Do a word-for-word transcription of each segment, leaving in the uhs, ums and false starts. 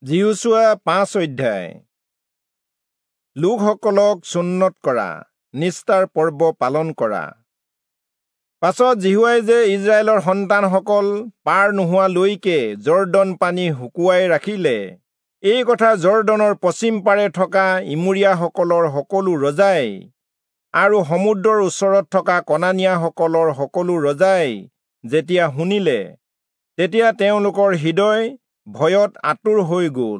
যিহোচূৱা পাঁচ অধ্যায়। লোকসকলক চুন্নৎ কৰা, নিস্তাৰ পৰ্ব পালন কৰা। পাছত যিহোৱাই যে ইস্ৰায়েলৰ সন্তানসকল পাৰ নোহোৱালৈকে যৰ্দন পানী শুকুৱাই ৰাখিলে, এই কথা যৰ্দনৰ পশ্চিম পাৰে থকা ইমূৰীয়াসকলৰ সকলো ৰজাই আৰু সমুদ্ৰৰ ওচৰত থকা কনানীয়াসকলৰ সকলো ৰজাই যেতিয়া শুনিলে, তেতিয়া তেওঁলোকৰ হৃদয় ভয়ত আতুৰ হৈ গ'ল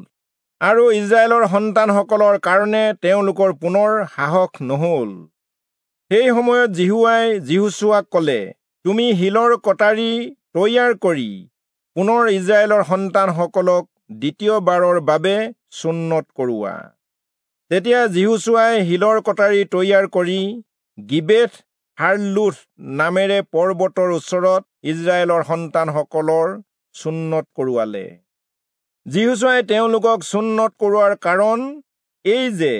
আৰু ইস্ৰায়েলৰ সন্তানসকলৰ কাৰণে তেওঁলোকৰ পুনৰ সাহস নহ'ল। সেই সময়ত যিহোৱাই যিহোচূৱাক ক'লে, তুমি শিলৰ কটাৰী তৈয়াৰ কৰি পুনৰ ইস্ৰায়েলৰ সন্তানসকলক দ্বিতীয়বাৰৰ বাবে চুন্নৎ কৰোৱা। তেতিয়া যিহোচূৱাই শিলৰ কটাৰী তৈয়াৰ কৰি গিবেথ হাৰলোথ নামেৰে পৰ্বতৰ ওচৰত ইস্ৰায়েলৰ সন্তানসকলৰ চুন্নৎ কৰোৱালে। যিহোচূৱাই তেওঁলোকক চুন্নৎ কৰোৱাৰ কাৰণ এই যে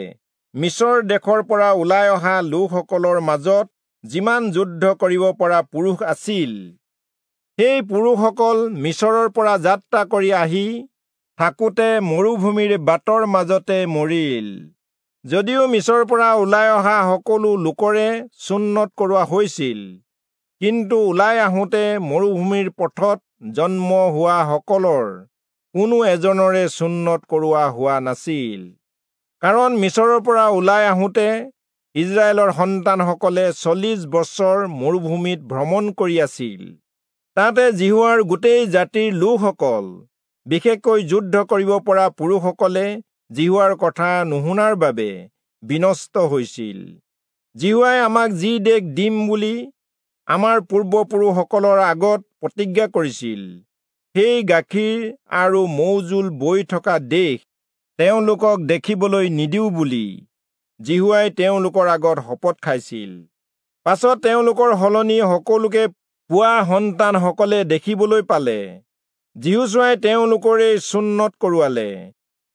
মিচৰ দেশৰ পৰা ওলাই অহা লোকসকলৰ মাজত যিমান যুদ্ধ কৰিব পৰা পুৰুষ আছিল, সেই পুৰুষসকল মিচৰৰ পৰা যাত্ৰা কৰি আহি থাকোঁতে মৰুভূমিৰ বাটৰ মাজতে মৰিল। যদিও মিচৰৰ পৰা ওলাই অহা সকলো লোকৰে চুন্নৎ কৰোৱা হৈছিল, কিন্তু ওলাই আহোঁতে মৰুভূমিৰ পথত জন্ম হোৱা সকলৰ কোনো এজনৰে চুন্নৎ কৰোৱা হোৱা নাছিল। কাৰণ মিচৰৰ পৰা ওলাই আহোঁতে ইস্ৰায়েলৰ সন্তানসকলে চল্লিশ বছৰ মৰুভূমিত ভ্ৰমণ কৰি আছিল। তাতে যিহোৱাৰ গোটেই জাতিৰ লোকসকল, বিশেষকৈ যুদ্ধ কৰিব পৰা পুৰুষসকলে যিহোৱাৰ কথা নুশুনাৰ বাবে বিনষ্ট হৈছিল। যিহোৱাই আমাক যি দেশ দিম বুলি আমাৰ পূৰ্বপুৰুষসকলৰ আগত প্ৰতিজ্ঞা কৰিছিল, সেই গাখীৰ আৰু মৌজোল বৈ থকা দেশ তেওঁলোকক দেখিবলৈ নিদিওঁ বুলি যিহোৱাই তেওঁলোকৰ আগত শপত খাইছিল। পাছত তেওঁলোকৰ সলনি সকলোকে পোৱা সন্তানসকলে দেখিবলৈ পালে। যিহোচূৱাই তেওঁলোকৰে চুন্নৎ কৰোৱালে,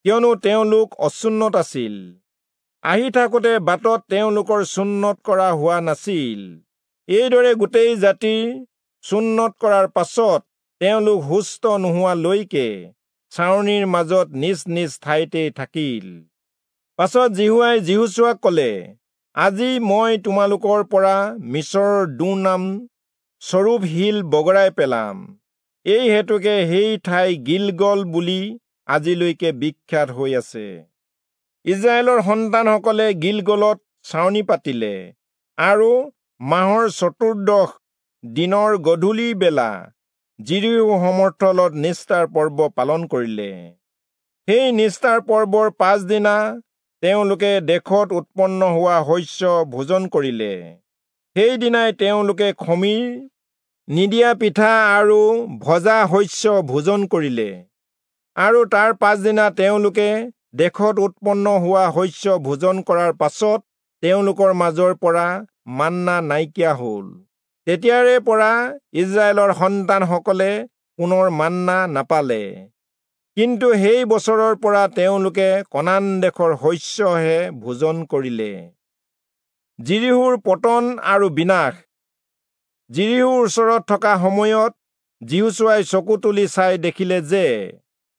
কিয়নো তেওঁলোক অচুন্নৎ আছিল। আহি থাকোঁতে বাটত তেওঁলোকৰ চুন্নৎ কৰা হোৱা নাছিল। এইদৰে গোটেই জাতিৰ চুন্নৎ কৰাৰ পাছত তেওঁলোক সুস্থ নোহোৱালৈকে ছাউনিৰ মাজত নিজ নিজ ঠাইতে থাকিল। পাছত যিহোৱাই যিহোচূৱাক ক'লে, আজি মই তোমালোকৰ পৰা মিচৰৰ দুৰ্নাম স্বৰূপ শিল বগৰাই পেলাম। এই হেতুকে সেই ঠাই গিলগল বুলি আজিলৈকে বিখ্যাত হৈ আছে। ইস্ৰায়েলৰ সন্তানসকলে গিলগলত ছাউনি পাতিলে আৰু মাহৰ চতুৰ্দশ দিনৰ গধূলি বেলা যিৰিহো সমৰ্থলত নিস্তাৰ পৰ্ব পালন কৰিলে। সেই নিস্তাৰ পৰ্বৰ পাছদিনা তেওঁলোকে দেশত উৎপন্ন হোৱা শস্য ভোজন কৰিলে। সেইদিনাই তেওঁলোকে খমীৰ নিদিয়া পিঠা আৰু ভজা শস্য ভোজন কৰিলে। আৰু তাৰ পাছদিনা তেওঁলোকে দেশত উৎপন্ন হোৱা শস্য ভোজন কৰাৰ পাছত তেওঁলোকৰ মাজৰ পৰা মান্না নাইকিয়া হ'ল। তেতিয়াৰে পৰা ইস্ৰায়েলৰ সন্তানসকলে পুনৰ মান্না নাপালে, কিন্তু সেই বছৰৰ পৰা তেওঁলোকে কনান দেশৰ শস্যহে ভোজন কৰিলে। যিৰিহোৰ পতন আৰু বিনাশ। যিৰিহোৰ ওচৰত থকা সময়ত যিহোচূৱাই চকু তুলি চাই দেখিলে যে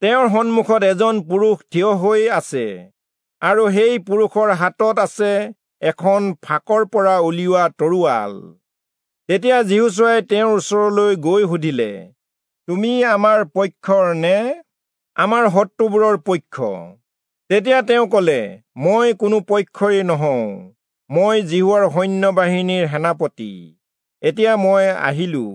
তেওঁৰ সন্মুখত এজন পুৰুষ থিয় হৈ আছে আৰু সেই পুৰুষৰ হাতত আছে এখন ফাঁকৰ পৰা উলিওৱা তৰোৱাল। তেতিয়া যিহোচূৱাই তেওঁৰ ওচৰলৈ গৈ সুধিলে, তুমি আমাৰ পক্ষৰ নে আমাৰ শত্ৰুবোৰৰ পক্ষ? তেতিয়া তেওঁ ক'লে, মই কোনো পক্ষৰেই নহওঁ, মই যিহোৱাৰ সৈন্যবাহিনীৰ সেনাপতি, এতিয়া মই আহিলো।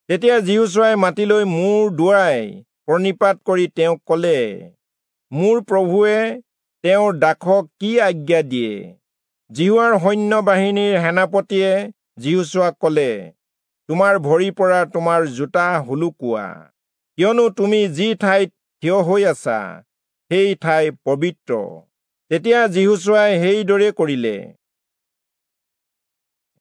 তেতিয়া যিহোচূৱাই মাটিলৈ মূৰ দোৱাই প্ৰণিপাত কৰি তেওঁক ক'লে, মোৰ প্ৰভুৱে তেওঁৰ দাসক কি আজ্ঞা দিয়ে? যিহোৱাৰ সৈন্যবাহিনীৰ সেনাপতিয়ে যিহোচূৱাক ক'লে, তোমাৰ ভৰিৰ পৰা তোমাৰ জোতা সোলোকোৱা, কিয়নো তুমি যি ঠাইত থিয় হৈ আছা সেই ঠাই পবিত্ৰ। তেতিয়া যিহোচূৱাই সেইদৰে কৰিলে।